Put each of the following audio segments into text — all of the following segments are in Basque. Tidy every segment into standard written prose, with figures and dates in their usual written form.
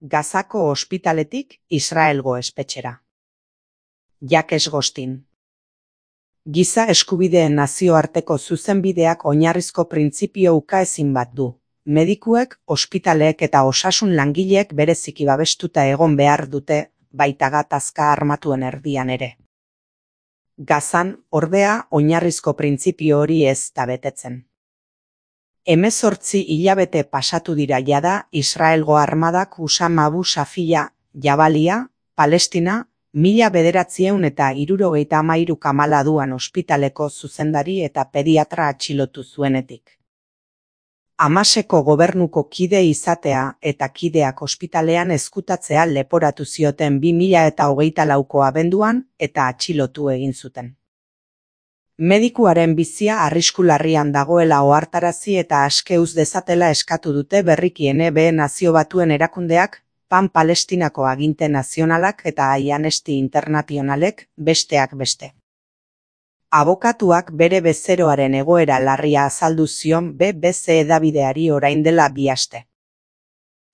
Gazako ospitaletik Israelgo espetxera. Jacques Gostin. Giza eskubideen nazioarteko zuzenbideak oinarrizko printzipio ukaezin bat du. Medikuek, ospitaleek eta osasun langileek bereziki babestuta egon behar dute, baita gatazka armatuen erdian ere. Gazan, ordea, oinarrizko printzipio hori ez da betetzen. 18 hilabete pasatu dira jada Israelgo armadak Usama Abu Shafia, Jabalia, Palestina, 1973 Kamal Adwan ospitaleko zuzendari eta pediatra atxilotu zuenetik. Hamaseko gobernuko kide izatea eta kideak ospitalean ezkutatzea leporatu zioten 2024ko abenduan eta atxilotu egin zuten. Medikuaren bizia arrisku larrian dagoela ohartarazi eta aske uz dezatela eskatu dute berriki NB Nazio Batuen erakundeak, PAN Palestinako aginte nazionalak eta Amnesty Internationalek, besteak beste. Abokatuak bere bezeroaren egoera larria azaldu zion BBC hedabideari orain dela 2 aste.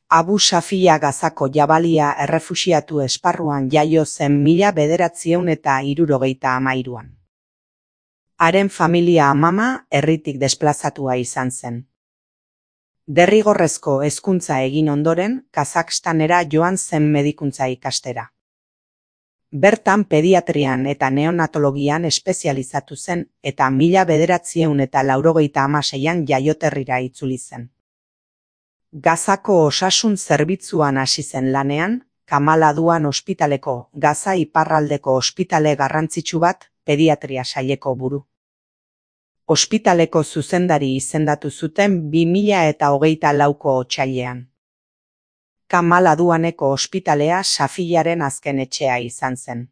Abu Shafia Gazako Jabalia errefuxiatu esparruan jaio zen 1973an. Haren familia amama herritik desplazatua izan zen. Derrigorrezko hezkuntza egin ondoren, Kazakstanera joan zen medikuntza ikastera. Bertan pediatrian eta neonatologian espezializatu zen eta 1996an jaioterrira itzuli zen. Gazako osasun zerbitzuan hasi zen lanean, Kamal Adwan ospitaleko Gaza iparraldeko ospitale garrantzitsu bat, pediatria saileko buru. Ospitaleko zuzendari izendatu zuten 2024ko otsailean. Kamal Adwaneko ospitalea Shafiaren azken etxea izan zen.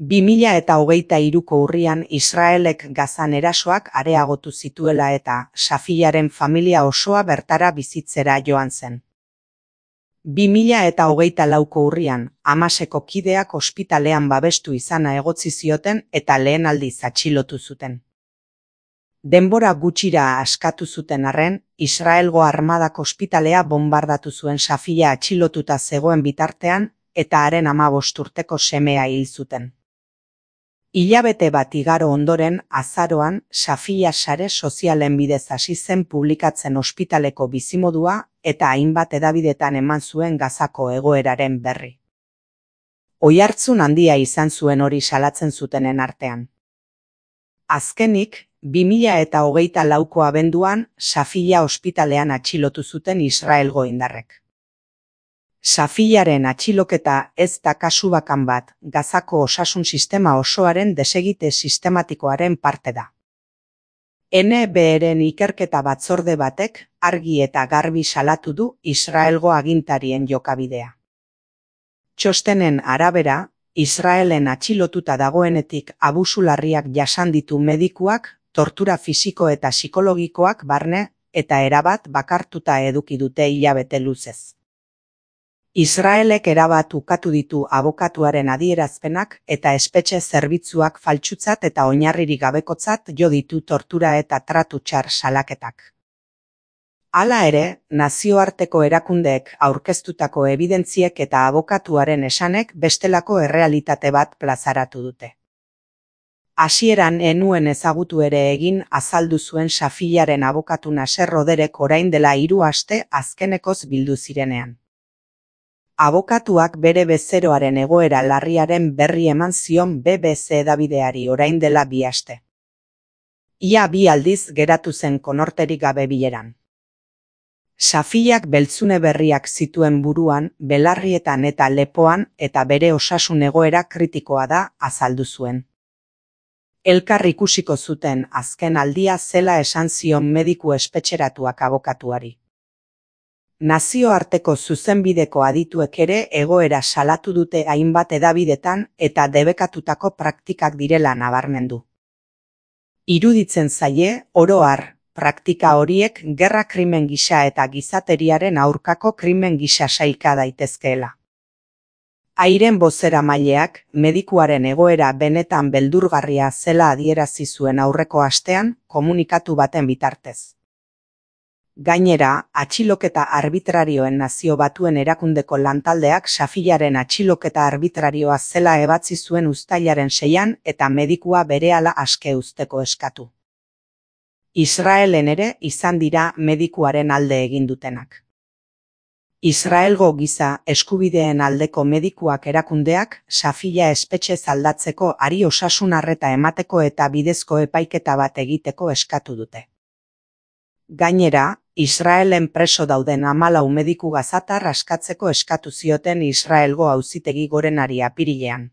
2023ko urrian Israelek Gazan erasoak areagotu zituela eta Shafiaren familia osoa bertara bizitzera joan zen. 2024ko urrian, Hamaseko kideak ospitalean babestu izana egotzi zioten eta lehen aldiz atxilotu zuten. Denbora gutxira askatu zuten arren, Israelgo armadak ospitalea bonbardatu zuen Shafia atxilotuta zegoen bitartean eta haren 15 urteko semea hil zuten. Hilabete bat igaro ondoren, azaroan, Shafia sare sozialen bidez hasi zen publikatzen ospitaleko bizimodua eta hainbat hedabidetan eman zuen Gazako egoeraren berri. Oihartzun handia izan zuen hori salatzen zutenen artean. Azkenik, 2024ko abenduan, Shafia ospitalean atxilotu zuten Israelgo indarrek. Shafiaren atxiloketa ez da kasu bakan bat, Gazako osasun sistema osoaren desegite sistematikoaren parte da. NBren ikerketa batzorde batek argi eta garbi salatu du Israelgo agintarien jokabidea. Txostenen arabera, Israelen atxilotuta dagoenetik abusu larriak jasan ditu medikuak, tortura fisiko eta psikologikoak barne eta erabat bakartuta eduki dute hilabete luzez. Israelek erabat ukatu ditu abokatuaren adierazpenak eta espetxe zerbitzuak faltsutzat eta oinarririk gabekotzat jo ditu tortura eta tratu txar salaketak. Hala ere, nazioarteko erakundeek aurkeztutako ebidentziek eta abokatuaren esanek bestelako errealitate bat plazaratu dute. Hasieran ez nuen ezagutu ere egin azaldu zuen Shafiaren abokatu Nasser Roderek orain dela 3 aste azkenekoz bildu zirenean. Abokatuak bere bezeroaren egoera larriaren berri eman zion BBC hedabideari orain dela 2 aste. Ia 2 aldiz geratu zen konorterik gabe bileran. Shafiak beltzune berriak zituen buruan, belarrietan eta lepoan eta bere osasun egoera kritikoa da azaldu zuen. Elkar ikusiko zuten azken aldia zela esan zion mediku espetxeratuak abokatuari. Nazioarteko zuzenbideko adituek ere egoera salatu dute hainbat hedabidetan eta debekatutako praktikak direla nabarmendu. Iruditzen zaie, oro har, praktika horiek gerra krimen gisa eta gizateriaren aurkako krimen gisa sailka daitezkeela. Airen bozeramaileak medikuaren egoera benetan beldurgarria zela adierazi zuen aurreko astean komunikatu baten bitartez. Gainera, atxiloketa arbitrarioen Nazio Batuen Erakundeko lantaldeak Safiyaren atxiloketa arbitrarioa zela ebatzi zuen uztailaren 6an eta medikua berehala aske uzteko eskatu. Israelen ere izan dira medikuaren alde egin dutenak. Israelgo giza eskubideen aldeko medikuak erakundeak Safiya espetxez aldatzeko ari osasun arreta emateko eta bidezko epaiketa bat egiteko eskatu dute. Gainera, Israelen preso dauden 14 mediku gazatar askatzeko eskatu zioten Israelgo Auzitegi Gorenari apirilean.